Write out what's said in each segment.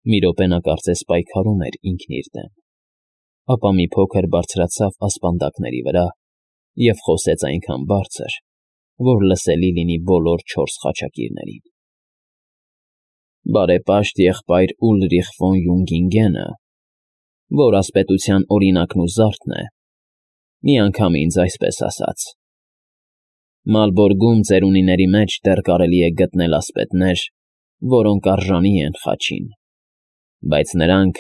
Մի րոպե նա կարծես պայքարում էր ինքն իր դեմ, ապա մի փոքր բարձրացավ ասպանդակների վրա և խոսեց այնքան բարձր, որ լսելի լինի բոլոր 4 խաչակիրներին. «Բարեպաշտ եղբայր Ուլրիխ ֆոն Յունգինգենը, որ ասպետության օրինակն ու զարդն է, մի անգամ ինձ այսպես ասաց. «Մալբորգում ծերունիների մեջ դեռ կարելի է գտնել ասպետներ, որոնք արժանի են խաչին, բայց նրանք,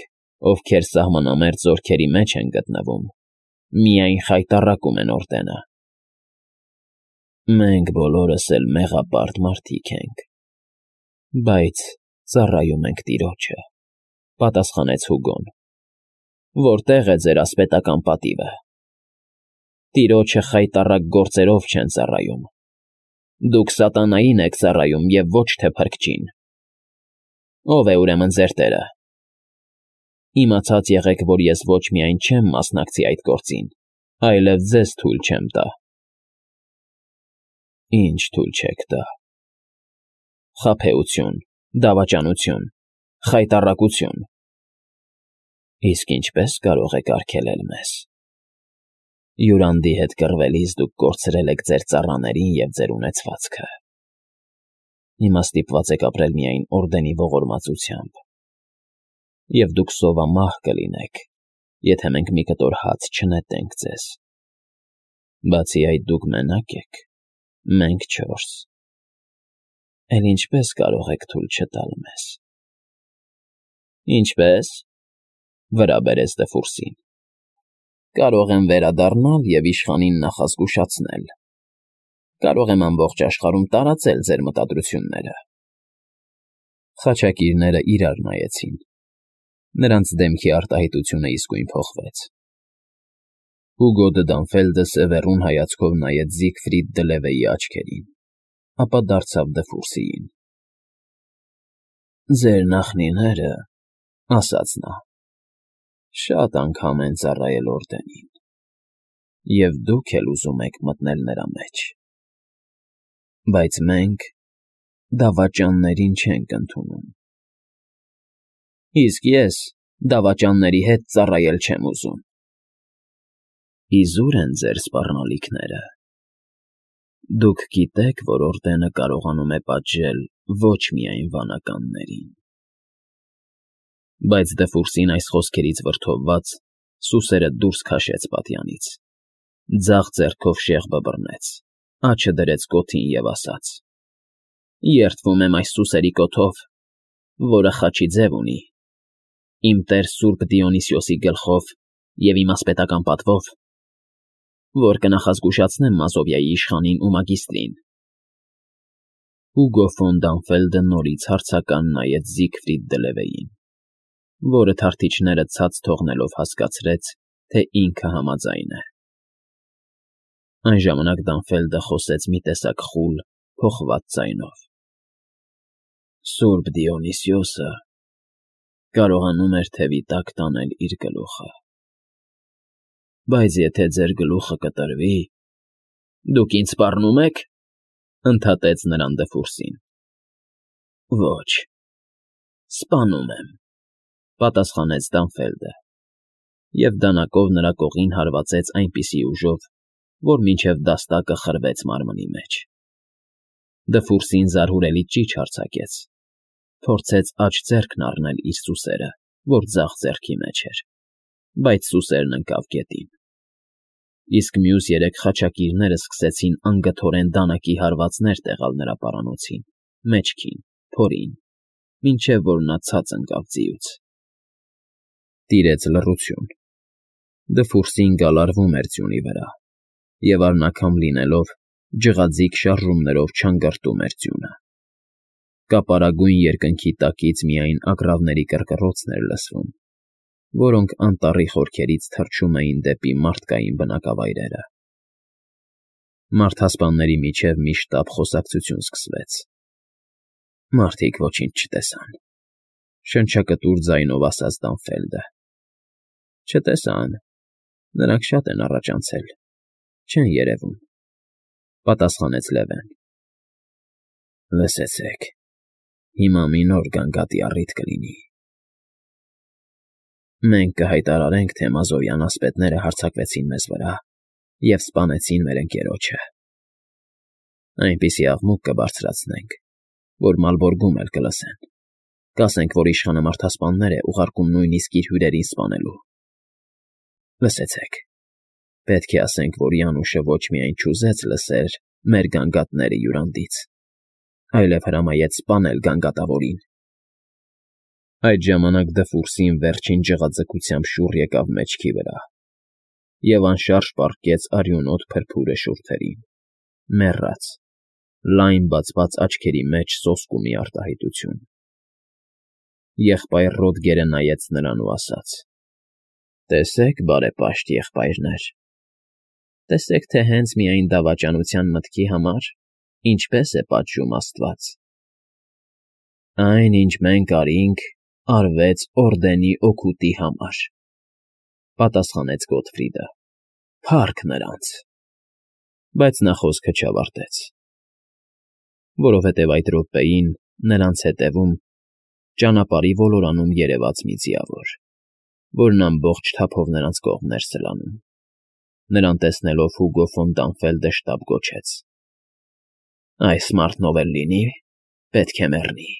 ովքեր սահմանամերձ զորքերի մեջ են գտնվում, միայն խայտառակում են օրդենը»։ «Մենք բոլորս էլ մեղապարտ մարդիկ ենք, բայց ծառայում ենք տիրոջը», պատասխանեց Հուգոն։ «Որտե՞ղ է ձեր ասպետական պատիվը։ Տիրոջը խայտառակ գործերով չեն ծառայում. դուք սատանային եք ծառայում և ոչ թե Փրկչին։ Ո՞վ է ուրեմն ձեր տերը։ Իմացած եղեք, որ ես ոչ միայն չեմ մասնակցի այդ գործին, այլև ձեզ թույլ չեմ տա»։ «Ինչ թույլ չեք տա»։ «Խաբեություն, դավաճանություն, խայտառակություն»։ «Իսկ ինչպե՞ս կարող եք արգելել մեզ։ Յուրանդի հետ կռվելիս դուք կորցրել եք ձեր ծառաներին և ձեր ունեցվածքը։ Հիմա ստիպված եք ապրել միայն օրդենի ողորմածությամբ, և դուք սովամահ կլինեք, եթե մենք մի կտոր հաց չնետենք ձեզ։ Բացի այդ դուք մենակ եք, մենք 4։ Էլ ինչպե՞ս կարող եք թույլ չտալ մեզ»։ «Ինչպե՞ս», վրա բերեց դֆուրսին։ «Կարող եմ վերադառնալ և իշխանին նախազգուշացնել։ Կարող եմ ամբողջ աշխարհում տարածել ձեր մտադրությունները»։ Խաչակիրները իրար նայեցին։ Նրանց դեմքի արտահայտությունը իսկույն փոխվեց։ Հուգո դը Դանֆելդը սևեռուն հայացքով նայեց Զիգֆրիդ դը Լևեի աչքերին, ապա դարձավ դֆուրսիին. «Ձեր նախնիները, — ասաց նա, — շատ անգամ են ծառայել օրդենին, և դուք էլ ուզում եք մտնել նրա մեջ։ Բայց մենք դավաճաններին չենք ընդունում։ Իսկ ես դավաճանների հետ ծառայել չեմ ուզում։ Իզուր են ձեր սպառնալիքները։ Դուք գիտեք, որ օրդենը կարողանում է պատժել ոչ միայն վանականներին»։ Բայց դֆուրսին այս խոսքերից վրդովված սուսերը դուրս քաշեց պատյանից, ձախ ձեռքով շեղբը բռնեց, աջը դրեց կոթին և ասաց. «Երդվում եմ այս սուսերի կոթով, որը խաչի ձև ունի, իմ տեր սուրբ Դիոնիսիոսի գլխով և իմ ասպետական պատվով, որ կնախազգուշացնեմ Մազովիայի իշխանին ու մագիստրին»։ Հուգո ֆոն Դանֆելդը նորից հարցական նայեց Զիգֆրիդ դը Լևեին, որը թարթիչները ցած թողնելով հասկացրեց, թե ինքը համաձայն է։ Այն ժամանակ Դանֆելդը խոսեց մի տեսակ խուլ, փոխված ձայնով. «Սուրբ Դիոնիսիոսը կարողանում էր թևի տակ տանել իր գլուխը։ Բայց եթե ձեր գլուխը կտրվի, դուք ինձ սպառնո՞ւմ եք», ֊ ընդհատեց նրան դֆուրսին։ «Ոչ, սպանում եմ», ֊ պատասխանեց Դանֆելդը, և դանակով նրա կողին հարվածեց այնպիսի ուժով, որ մինչև դաստակը խրվեց մարմնի մեջ։ Դֆուրսին զարհուրելի ճիչ արձակեց, փորձեց աջ ձեռքն առնել իր սուսերը, որ ձախ ձեռքի մեջ էր, բայց սուսերն ընկավ գետին։ Իսկ մյուս 3 խաչակիրները սկսեցին անգթորեն դանակի հարվածներ տեղալ նրա պարանոցին, մեջքին, փորին, մինչև որ նա ցած ընկավ ձիուց։ Տիրեց լռություն։ Դֆուրսին գալարվում էր ձյունի վրա, և առնաքամ լինելով, ջղաձիգ շարժումներով չանգրտում էր ձյունը։ Կապարագույն երկնքի տակից միայն ագռավների կռկռոցն էր լսվում, որոնք անտառի խորքերից թռչում էին դեպի մարդկային բնակավայրերը։ Մարդասպանների միջև մի շտապ խոսակցություն սկսվեց։ Մարդիկ ոչինչ չտեսան, ֊ շնչակտուր ձայնով ասաց Դանֆելդը։ Չտեսան, նրանք շատ են առաջանցել, չեն երևում, ֊ պատասխանեց Լևեն։ Լսեցեք, հիմա մի նոր գանգատի առիթ կլինի։ Մենք կհայտարարենք, թե մազովյան ասպետները հարձակվեցին մեզ վրա և սպանեցին մեր ընկերոջը։ Այնպիսի աղմուկ կբարձրացնենք, որ Մալբորգում էլ կլսեն։ Կասենք, որ իշխանը մարդասպաններ է ուղարկում նույնիսկ իր հյուրերին սպանելու։ Լսեցեք, պետք է ասենք, որ Յանուշը ոչ միայն չուզեց լսել մեր գանգատները յուրանդից, այլև հրամայեց սպանել գանգատավորին։ Այդ ժամանակ Դֆուրսին վերջին ջղաձգությամբ շուռ եկավ մեջքի վրա և անշարժ պառկեց արյունոտ փրփուրը շուրթերին, մեռած, լայն բացված աչքերի մեջ սոսկ ու մի արտահայտություն։ Եղբայր Ռոդգերը նայեց նրան ու ասաց. «Տեսեք, բարեպաշտ եղբայրներ, տեսեք, թե հենց միայն դավաճանության մտքի համար ինչպես է պատժում Աստված։ Այն, ինչ մենք արինք, արվեց Օրդենի օգուտի համար», պատասխանեց Գոթֆրիդը։ «Փառք նրանց»։ Բայց նա խոսքը չավարտեց, որովհետև այդ րոպեին նրանց հետևում ճանապարհի ոլորանում երևաց մի ձիավոր, որն ամբողջ թափով նրանց կողմն էր սլանում։ Նրան տեսնելով Հուգո ֆոն Դանֆելդը շտապ գոչեց. «Այս մարդն ով էլ լինի, պետք է մեռնի»։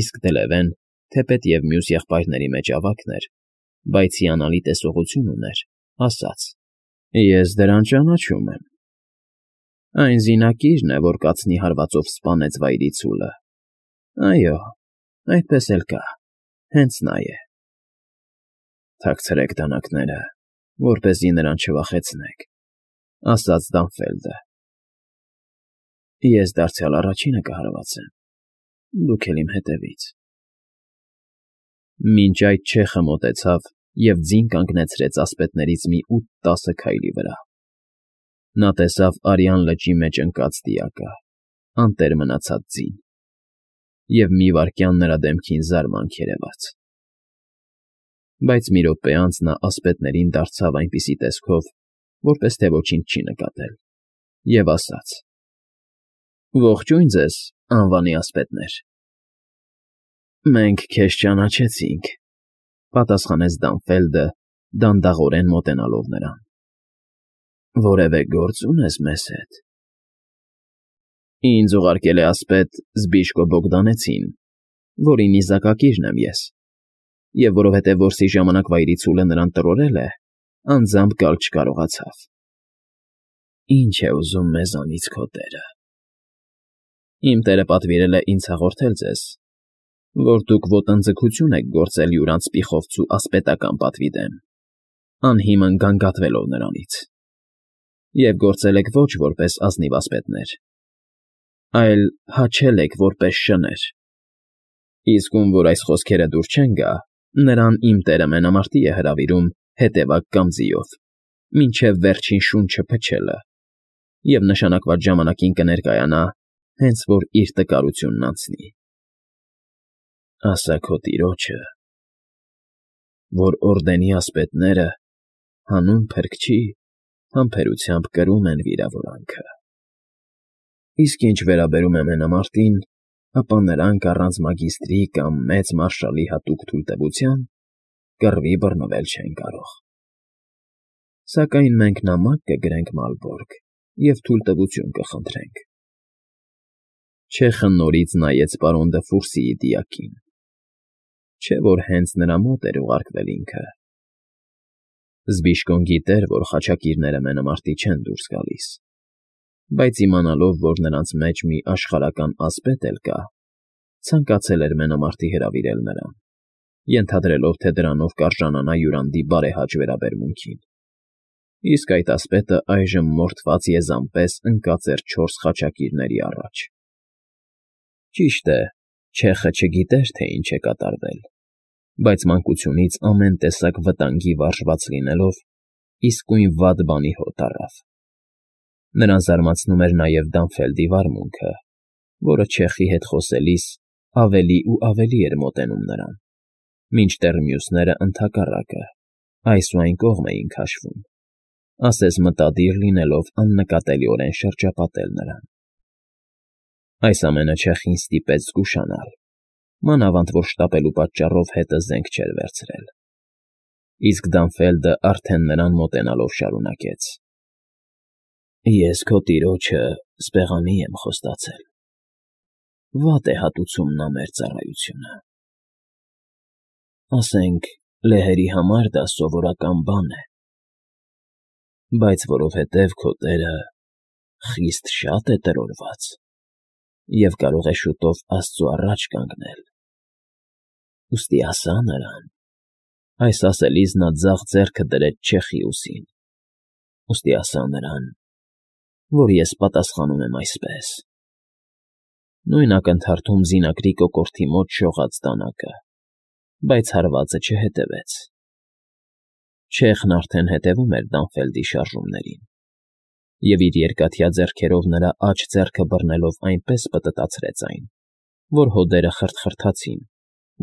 Իսկ Դլևեն, թեպետ և մյուս եղբայրների մեջ ավագն էր, բայց հիանալի տեսողություն ուներ, ասաց. «Ես դրան ճանաչում եմ։ Այն զինակիրն է, որ կացնի հարվածով սպանեց վայրիցուլը։ Այո, այդպես էլ կա, հենց նա է»։ «Թաքցրեք դանակները, որպեսզի նրան չվախեցնեք», ասաց Դանֆելդը։ «Ես դարձյալ առաջինը կհարվածեմ, դուք էլ իմ հետևից»։ Մինչ այդ չեխը մոտեցավ և ձին կանգնեցրեց ասպետներից մի 8-10 քայլի վրա։ Նա տեսավ արյան լճի մեջ ընկած դիակը, անտեր մնացած ձին, և մի վայրկյան նրա դեմքին զարմանք երևաց։ Բայց մի րոպե անց նա ասպետներին դարձավ այնպիսի տեսքով, որպես թե ոչինչ չի նկատել, և ասաց. «Ողջույն ձեզ, անվանի ասպետներ»։ «Մենք քեզ ճանաչեցինք», պատասխանեց Դանֆելդը, դանդաղորեն մոտենալով նրան։ «Որևէ գործ ունես մեզ հետ»։ «Ինձ ուղարկել է ասպետ Զբիշկո Բոգդանեցին, որի նիզակակիրն եմ ես, և որովհետև որսի ժամանակ վայրիցուլը նրան տրորել է, անձամբ գալ չկարողացավ»։ «Ինչ է ուզում մեզանից քո տերը»։ «Իմ տերը պատվիրել է ինձ հաղորդել ձեզ, որ դուք ոտնձգություն եք գործել յուրանց պիխովցու ասպետական պատվի դեմ, անհիմն գանգատվելով նրանից, և գործել եք ոչ որպես ազնիվ ասպետներ, այլ հաչել եք որպես շներ։ Իսկ ում որ այս խոսքերը դուր չեն գա, նրան իմ տերը մենամարտի է հրավիրում հետևակ կամ ձիով, մինչև վերջին շունչը փչելը, և նշանակված ժամանակին կներկայանա, հենց որ իր տկարությունն անցնի։ Ասա քո տիրոջը, որ Օրդենի ասպետները հանուն փրկչի համբերությամբ կրում են վիրավորանքը։ Իսկ ինչ վերաբերում է մենամարտին, ապա նրանք առանց մագիստրի կամ մեծ մարշալի հատուկ թույլտվության կռվի բռնվել չեն կարող։ Սակայն մենք նամակ կգրենք Մալբորգ և թույլտվություն կխնդրենք»։ Չեխը նորից նայեց պարոն Դֆուրսիի դիակին, չէ՞ որ հենց նրա մոտ էր ուղարկվել ինքը։ Զբիշկոն գիտեր, որ խաչակիրները մենամարտի չեն դուրս գալիս, բայց իմանալով, որ նրանց մեջ մի աշխարհական ասպետ էլ կա, ցանկացել էր մենամարտի հրավիրել նրան, ենթադրելով, թե դրանով կարժանանա յուրանդի բարեհաճ վերաբերմունքին։ Իսկ այդ ասպետը այժմ մորթված եզան պես ընկած էր 4 խաչակիրների առաջ։ Ճիշտ է, չեխը չգիտեր, թե ինչ է կատարվել, բայց մանկությունից ամեն տեսակ վտանգի վարժված լինելով, իսկույն վատ բանի հոտ առավ։ Նրան զարմացնում էր նաև Դանֆելդի վարմունքը, որը չեխի հետ խոսելիս ավելի ու ավելի էր մոտենում նրան, մինչդեռ մյուսները ընդհակառակը, այս ու այն կողմ էին քաշվում, ասես մտադիր լինելով աննկատելիորեն շրջապատել նրան։ Այս ամենը չեխին ստիպեց զգուշանալ, մանավանդ որ շտապելու պատճառով հետը զենք չէր վերցրել։ Իսկ Դանֆելդը արդեն նրան մոտենալով շարունակեց. Ես քո տիրոջը սպեղանի եմ խոստացել. վատ է հատուցում նա մեր ծառայությունը։ Ասենք, լեհերի համար դա սովորական բան է, բայց որովհետև քո տերը խիստ շատ է տրորված և կարող է շուտով Աստծու առաջ կանգնել, ուստի ասա նրան, այս ասելիս նա ձախ ձեռքը դրեց չեխի ուսին, ուստի ասա նրան, որ ես պատասխանում եմ այսպես. նույն ակնթարթում զինակրի կոկորդի մոտ շողաց դանակը, բայց հարվածը չհետևեց։ Չեխն արդեն հետևում էր Դանֆելդի շարժումներին, և իր երկաթյա ձեռքերով նրա աջ ձեռքը բռնելով այնպես պտտացրեց այն, որ հոդերը խրթխրթացին,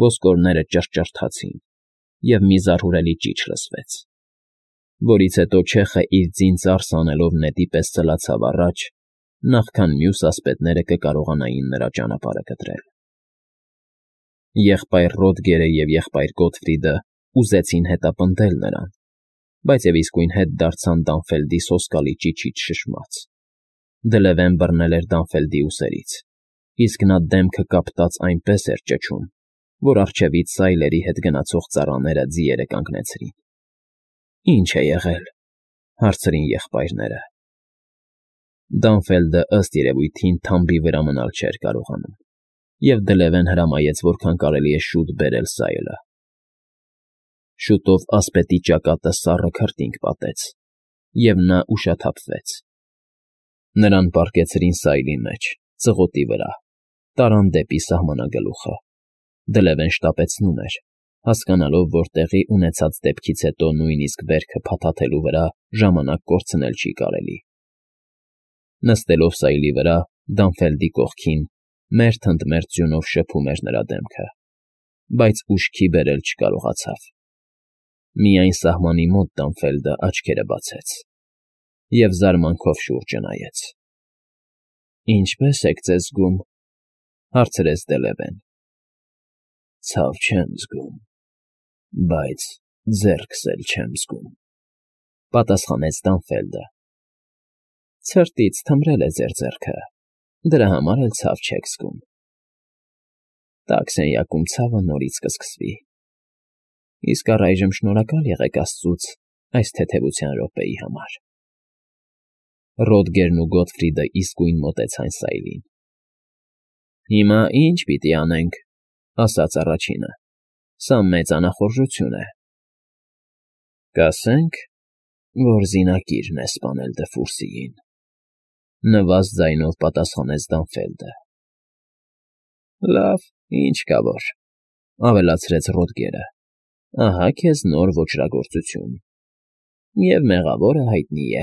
ոսկորները ճռճռթացին, և մի զարհուրելի ճիչ լսվեց, որից հետո չեխը իր ձին ծարս անելով նետի պես ծլացավ առաջ, նախքան մյուս ասպետները կկարողանային նրա ճանապարհը կտրել։ Եղբայր Ռոդգերը և եղբայր Գոթֆրիդը ուզեցին հետապնդել նրան, բայց և իսկույն հետ դարձան Դանֆելդի սոսկալի ճիչից շշմած։ Դլևեն բռնել էր Դանֆելդի ուսերից, իսկ նա դեմքը կապտած այնպես էր ճչում, որ առջևից սայլերի հետ գնացող ծառաները ձիերը կանգնեցրին։ Ի՞նչ է եղել,֊ հարցրին եղբայրները։ Դանֆելդը ըստ երևույթին թամբի վրա մնալ չէր կարողանում, և դլևեն հրամայեց որքան կարելի է շուտ բերել սայլը։ Շուտով ասպետի ճակատը սառը քրտինք պատեց, և նա ուշաթափվեց։ Նրան պառկեցրին սայլի մեջ, ծղոտի վրա, տարան դեպի սահմանագլուխը։ Դլևեն շտապեցնում էր, հասկանալով, որ տեղի ունեցած դեպքից հետո նույնիսկ վերքը փաթաթելու վրա ժամանակ կորցնել չի կարելի։ Նստելով սայլի վրա, Դանֆելդի կողքին, մերթ ընդ մերթ ձյունով շփում էր նրա դեմքը, բայց ուշքի բերել չկարողացավ։ Միայն սահմանի մոտ Դանֆելդը աչքերը բացեց և զարմանքով շուրջը նայեց։ «Ինչպե՞ս եք ձեզ զգում,֊ հարցրեց դլևեն։ «Ցավ չեմ զգում, բայց ձեռքս էլ չեմ զգում,֊ պատասխանեց Դանֆելդը։ Ցրտից թմրել է ձեր ձեռքը, դրա համար էլ ցավ չեք զգում։ Տաք սենյակում ցավը նորից կսկսվի, իսկ առայժմ շնորհակալ եղեք աստծուց այս թեթևության րոպեի համար»։ Ռոդգերն ու Գոթֆրիդը իսկույն մոտեցան սայլին։ «Հիմա ի՞նչ պիտի անենք,֊ ասաց առաջինը։֊ Սա մեծ անախորժություն է։ «Կասենք, որ զինակիրն է սպանել Դֆուրսիին,֊ նվազ ձայնով պատասխանեց Դանֆելդը։ Լավ, ինչ կա որ,֊ ավելացրեց Ռոդգերը։ Ահա քեզ նոր ոճրագործություն, և մեղավորը հայտնի է»։